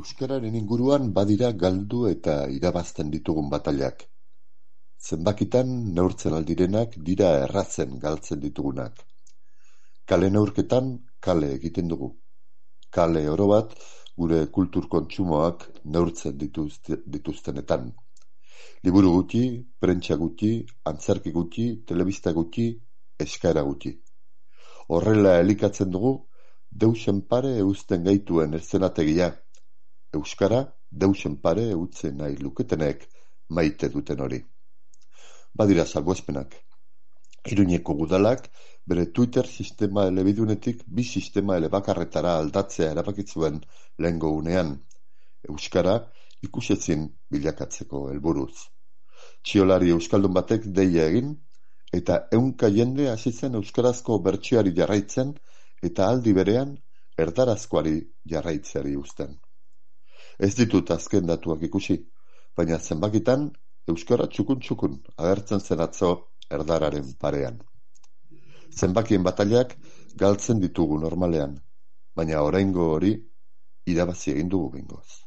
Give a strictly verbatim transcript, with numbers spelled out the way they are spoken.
Euskararen inguruan badira galdu eta irabazten ditugun batailak. Zenbakitan neurtzen aldirenak dira erratzen galtzen ditugunak. Kale neurketan kale egiten dugu. Kale oro bat gure kultur kontsumoak neurtzen dituzte, dituztenetan. Liburu gutxi, prentsa gutxi, antzerki gutxi, telebista gutxi, eskaera gutxi. Horrela elikatzen dugu, deusen pare eusten gaituen eszenategia. Euskara deusen pare eutzen nahi luketenek maite duten hori. Badira salbuespenak. Iruñeko udalak bere Twitter sistema elebidunetik bi sistema elebakarretara aldatzea erabakitzuen lehengo unean. Euskara ikusezin bilakatzeko helburuz. Txiolari euskaldun batek deia egin, eta ehunka jende hasi zen euskarazko bertsioari jarraitzen eta aldi berean erdarazkoari jarraitzeari uzten. Ez ditut azken datuak ikusi, baina zenbakitan euskara txukun-txukun agertzen zen atzo erdararen parean. Zenbakien batailak galtzen ditugu normalean, baina oraingo hori irabazi egin dugu behingoz.